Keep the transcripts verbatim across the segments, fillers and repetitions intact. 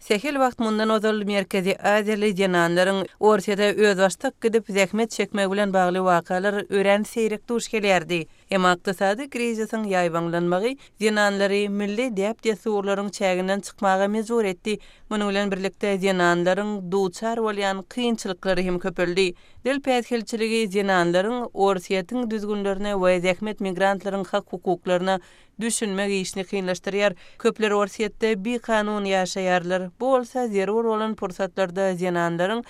Sähel wagt mundan ozal Merkezi Aziýaly zenanlaryň Orsýete özbaşdak gidip zähmet çekmegi bilen bagly wakalar örän seýrek duş gelýärdi. Emma ykdysady krizisiň ýaýbaňlanmagy zenanlary milli däp-dessurlaryň çäginden çykmaga mejbur etdi. Munuň bilen birlikde zenanlaryň duçar bolýan kynçylyklary hem köpeldi. Dil päsgelçiligi zenanlaryň Orsýetiň düzgünlerine we zähmet migrantlaryň hak-hukuklaryna düşünmek işini kynlaşdyrýar. Köpler Orsýetde bikanun ýaşaýarlar. Bu bolsa zerur bolan pursatlarda zenanlaryň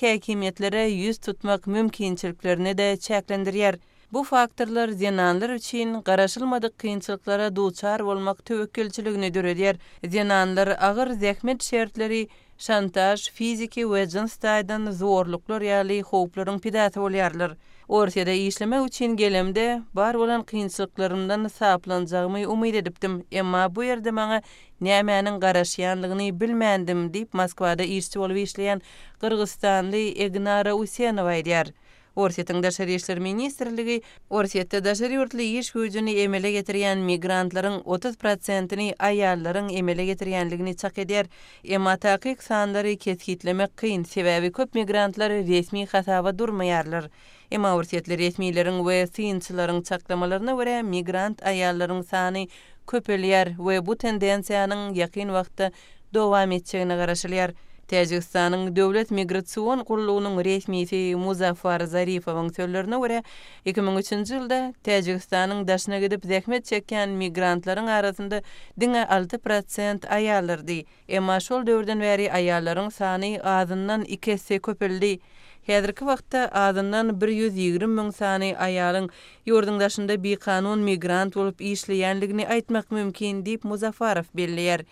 häkimiýetlere ýüz tutmak mümkinçiliklerini-de çäklendirýär. Bu faktorlar zenanlar üçin garaşylmadyk kynçylyklara duçar bolmak töwekgelçiligini döredýär. Zenanlar agyr zähmet şertleri, şantaž, fiziki we jyns taýdan zorluklar ýaly howplaryň pidasy bolýarlar. Orsýete işlemek üçin gelemde bar bolan kynçylyklarymdan saplanjagymy umyt edipdim. Emma bu ýerde maňa nämäniň garaşýanlygyny bilmändim diýip Moskwada işçi bolup işleýän Gyrgyzystanly Egnara Usenowa aýdýar. Orsýetiň Daşary işler ministrligi Orsýetde daşary ýurtly iş güýjüni emele getirýän migrantlaryň otuz prosentini aýallaryň emele getirýänligini çak edýär. Emma takyk sanlary kesgitlemek kyn, sebäbi köp migrantlar resmi hasaba durmaýarlar. Emma orsýetli resmileriň we synçylaryň çaklamalaryna görä migrant aýallaryň sany köpelýär we bu tendensiýanyň ýakyn wagtda dowam etjegine garaşylýar. Täjigistanyň Döwlet Migrasion gullugynyň resmisi Muzaffar Zarifowyň sözlerine görä iki müň üçünji ýylda Täjigistanyň daşyna gidip zähmet çekýän migrantlaryň arasynda diňe alty prosent aýallardy. Emma şol döwürden bäri aýallaryň sany azyndan iki esse köpeldi. Häzirki wagtda azyndan bir ýüz ýigrimi müň sany aýalyň ýurduň daşynda bikanun migrant bolup işleýänligini aýtmak mümkin diýip Muzaffarow belleýär.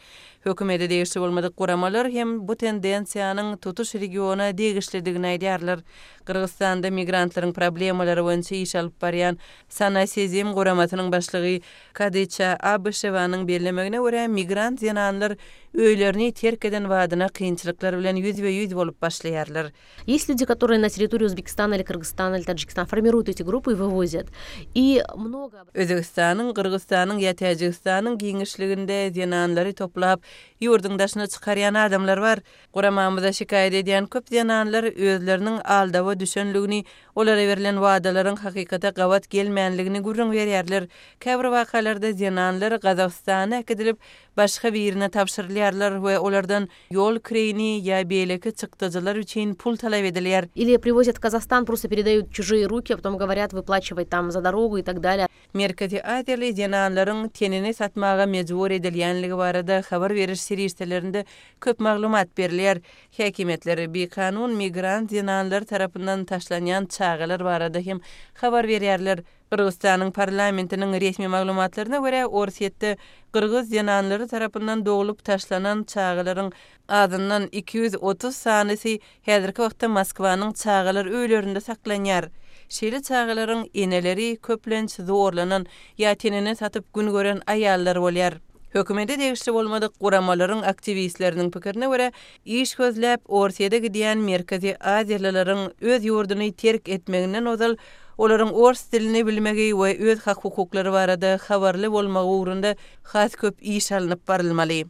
Hökümete degişli bolmadyk guramalar hem bu tendensiýanyň tutuş regiona degişlidigini aýdýarlar. Gyrgyzystanda migrantlaryň problemalary boýunça iş alyp barýan Sana Sezim guramasynyň başlygy Kadyça Abyşewanyň bellemegine görä migrant zenanlar öýlerini terk eden badyna kynçylyklar bilen ýüzbe-ýüz bolup başlaýarlar. Есть люди, которые на территории Узбекистана или Кыргызстана или Таджикистана формируют эти группы и вывозят. И много Özbekistanyň, Gyrgyzystanyň ýa Täjigistanyň giňişliginde zenanlary toplap, ýurduň daşyna çykarýan adamlar bar. Guramamyza şikaýat edýän köp zenanlar özleriniň aldawa düşenligini, olara berlen wadalaryň hakykata gabat gelmänligini gürrüň berýärler. Käbir wakalarda zenanlar Gazagystana äkidilip, başga birine tabşyrylýarlar we olardan ýol kireýini ýa beýleki çykdajylar üçin pul talap edilýär. Или привозят в Казахстан, просто передают чужие руки, а потом говорят, выплачивать там за дорогу и так далее. Merkezi Aziýaly zenanlaryň tenini satmaga mejbur edilýänligi barada habar beriş serişdelerinde köp maglumat berilýär. Häkimiýetler bikanun migrant zenanlar tarapyndan taşlanýan çagalar barada hem habar berýärler. Gyrgyzystanyň parlamentiniň resmi maglumatlaryna görä Orsýetde Gyrgyz zenanlary tarapyndan dogulup taşlanan çagalaryň azyndan iki ýüz otuz sanysy häzirki wagtda Moskwanyň çagalar öýlerinde saklanýar. Şeýle çagalaryň eneleri köplenç zorlanan ýa tenini satyp gün gören aýallar bolýar. Hökümete degişli bolmadyk guramalaryň aktiwistleriniň pikirine görä iş gözläp Orsýete gidýän Merkezi Aziýalylaryň öz ýurduny terk etmeginden ozal olaryň ors dilini bilmegi we öz hak-hukuklary barada habarly bolmagy ugrunda has köp iş alnyp barylmaly.